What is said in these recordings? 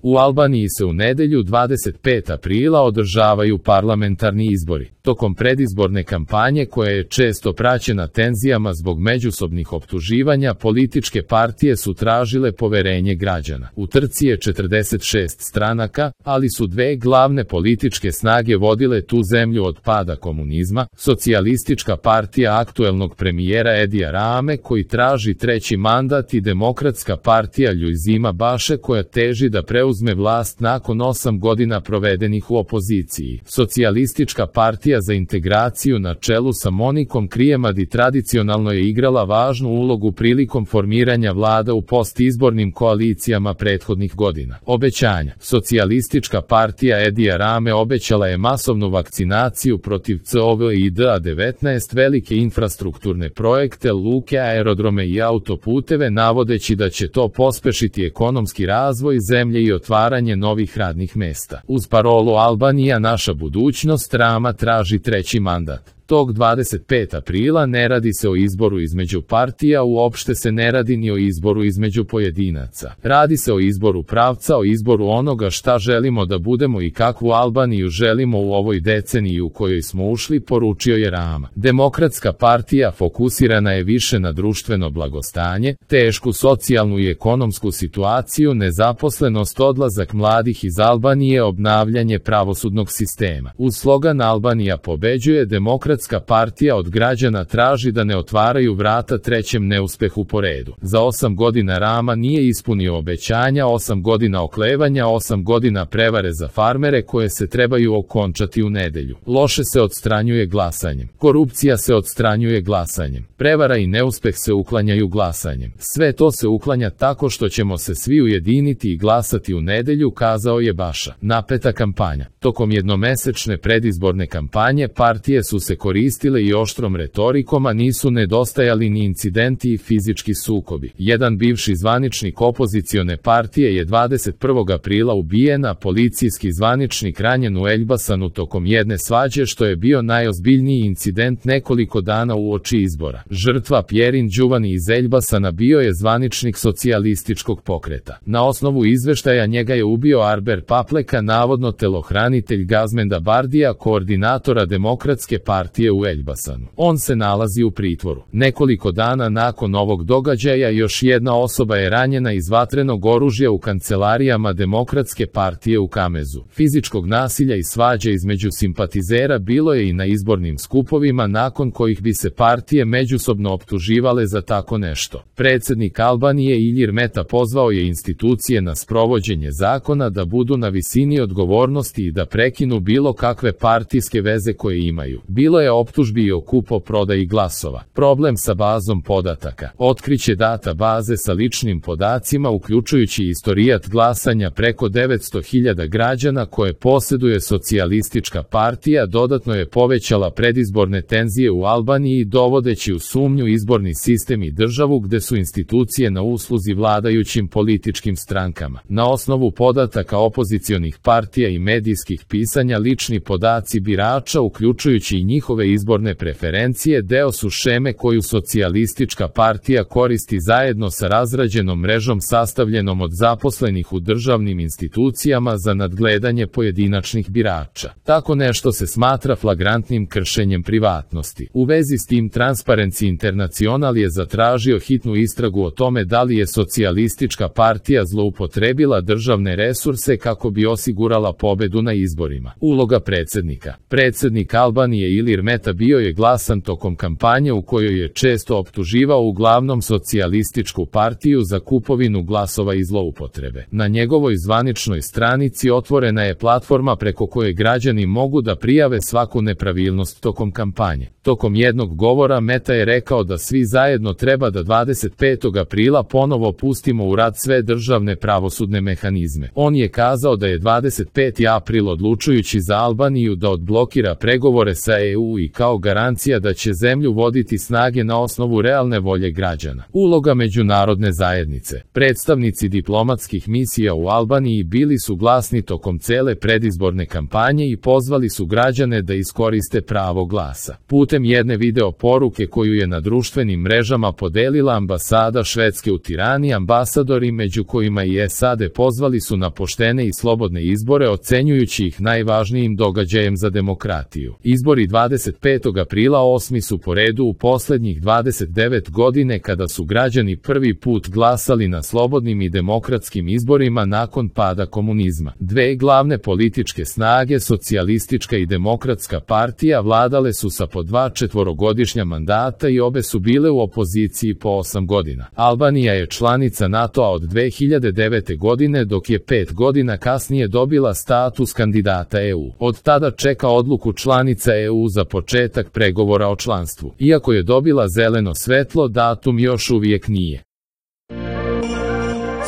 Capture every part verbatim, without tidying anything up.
U Albaniji se u nedelju dvadeset petog aprila održavaju parlamentarni izbori. Tokom predizborne kampanje koja je često praćena tenzijama zbog međusobnih optuživanja, političke partije su tražile poverenje građana. U trci je četrdeset šest stranaka, ali su dve glavne političke snage vodile tu zemlju od pada komunizma, Socijalistička partija aktuelnog premijera Edija Rame koji traži treći mandat i Demokratska partija Ljuizima Baše koja teži da preuzme vlast nakon osam godina provedenih u opoziciji. Socijalistička partija za integraciju na čelu sa Monikom Krijemadi tradicionalno je igrala važnu ulogu prilikom formiranja vlada u postizbornim koalicijama prethodnih godina. Obećanja. Socijalistička partija Edija Rame obećala je masovnu vakcinaciju protiv C O V I D a devetnaest, velike infrastrukturne projekte, luke, aerodrome i autoputeve, navodeći da će to pospešiti ekonomski razvoj zemlje i otvaranje novih radnih mesta. Uz parolu Albanija naša budućnost, Rama traži treći mandat. Tog dvadeset petog aprila ne radi se o izboru između partija, uopšte se ne radi ni o izboru između pojedinaca. Radi se o izboru pravca, o izboru onoga šta želimo da budemo i kakvu Albaniju želimo u ovoj deceniji u kojoj smo ušli, poručio je Rama. Demokratska partija fokusirana je više na društveno blagostanje, tešku socijalnu i ekonomsku situaciju, nezaposlenost, odlazak mladih iz Albanije, obnavljanje pravosudnog sistema. Uz slogan Albanija pobeđuje, Demokratska partija od građana traži da ne otvaraju vrata trećem neuspehu po redu. Za osam godina Rama nije ispunio obećanja, osam godina oklevanja, osam godina prevare za farmere koje se trebaju okončati u nedelju. Loše se odstranjuje glasanjem. Korupcija se odstranjuje glasanjem. Prevara i neuspeh se uklanjaju glasanjem. Sve to se uklanja tako što ćemo se svi ujediniti i glasati u nedelju, kazao je Baša. Napeta kampanja. Tokom jednomesečne predizborne kampanje partije su se koristile i oštrom retorikom, a nisu nedostajali ni incidenti i fizički sukobi. Jedan bivši zvaničnik opozicione partije je dvadeset prvog aprila ubijen, a policijski zvaničnik ranjen u Elbasanu tokom jedne svađe, što je bio najozbiljniji incident nekoliko dana uoči izbora. Žrtva Pjerin Đuvani iz Elbasana bio je zvaničnik socijalističkog pokreta. Na osnovu izveštaja njega je ubio Arber Papleka, navodno telohranitelj Gazmenda Bardija, koordinatora Demokratske partije u Elbasanu. On se nalazi u pritvoru. Nekoliko dana nakon ovog događaja još jedna osoba je ranjena iz vatrenog oružja u kancelarijama Demokratske partije u Kamezu. Fizičkog nasilja i svađe između simpatizera bilo je i na izbornim skupovima nakon kojih bi se partije međusobno optuživale za tako nešto. Predsjednik Albanije Ilir Meta pozvao je institucije na sprovođenje zakona da budu na visini odgovornosti i da prekinu bilo kakve partijske veze koje imaju. Bilo je optužbi i o kupo-prodaji glasova. Problem sa bazom podataka. Otkriće data baze sa ličnim podacima uključujući istorijat glasanja preko devetsto hiljada građana koje posjeduje socijalistička partija dodatno je povećala predizborne tenzije u Albaniji dovodeći u sumnju izborni sistem i državu gde su institucije na usluzi vladajućim političkim strankama. Na osnovu podataka opozicionih partija i medijskih pisanja lični podaci birača uključujući i njihove izborne preferencije deo su šeme koju socijalistička partija koristi zajedno sa razrađenom mrežom sastavljenom od zaposlenih u državnim institucijama za nadgledanje pojedinačnih birača. Tako nešto se smatra flagrantnim kršenjem privatnosti. U vezi s tim Transparency International je zatražio hitnu istragu o tome da li je socijalistička partija zloupotrebila državne resurse kako bi osigurala pobedu na izborima. Uloga predsjednika. Predsjednik Albanije Ilir Meta bio je glasan tokom kampanje u kojoj je često optuživao uglavnom socijalističku partiju za kupovinu glasova i zloupotrebe. Na njegovoj zvaničnoj stranici otvorena je platforma preko koje građani mogu da prijave svaku nepravilnost tokom kampanje. Tokom jednog govora Meta je rekao da svi zajedno treba da dvadeset petog aprila ponovo pustimo u rad sve državne pravosudne mehanizme. On je kazao da je dvadeset peti april odlučujući za Albaniju da odblokira pregovore sa E U U i kao garancija da će zemlju voditi snage na osnovu realne volje građana. Uloga međunarodne zajednice. Predstavnici diplomatskih misija u Albaniji bili su glasni tokom cele predizborne kampanje i pozvali su građane da iskoriste pravo glasa. Putem jedne video poruke koju je na društvenim mrežama podelila ambasada Švedske u Tirani, ambasadori, među kojima i S A D, pozvali su na poštene i slobodne izbore, ocenjujući ih najvažnijim događajem za demokratiju. Izbori dvadeset petog aprila osmi su po redu u poslednjih dvadeset devet godine kada su građani prvi put glasali na slobodnim i demokratskim izborima nakon pada komunizma. Dve glavne političke snage, socijalistička i demokratska partija, vladale su sa po dva četvorogodišnja mandata i obe su bile u opoziciji po osam godina. Albanija je članica NATO-a od dve hiljade devete godine, dok je pet godina kasnije dobila status kandidata E U. Od tada čeka odluku članica E U za početak pregovora o članstvu. Iako je dobila zeleno svetlo, datum još uvijek nije.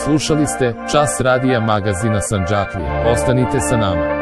Slušali ste Čas radija magazina Sandžaklija. Ostanite sa nama.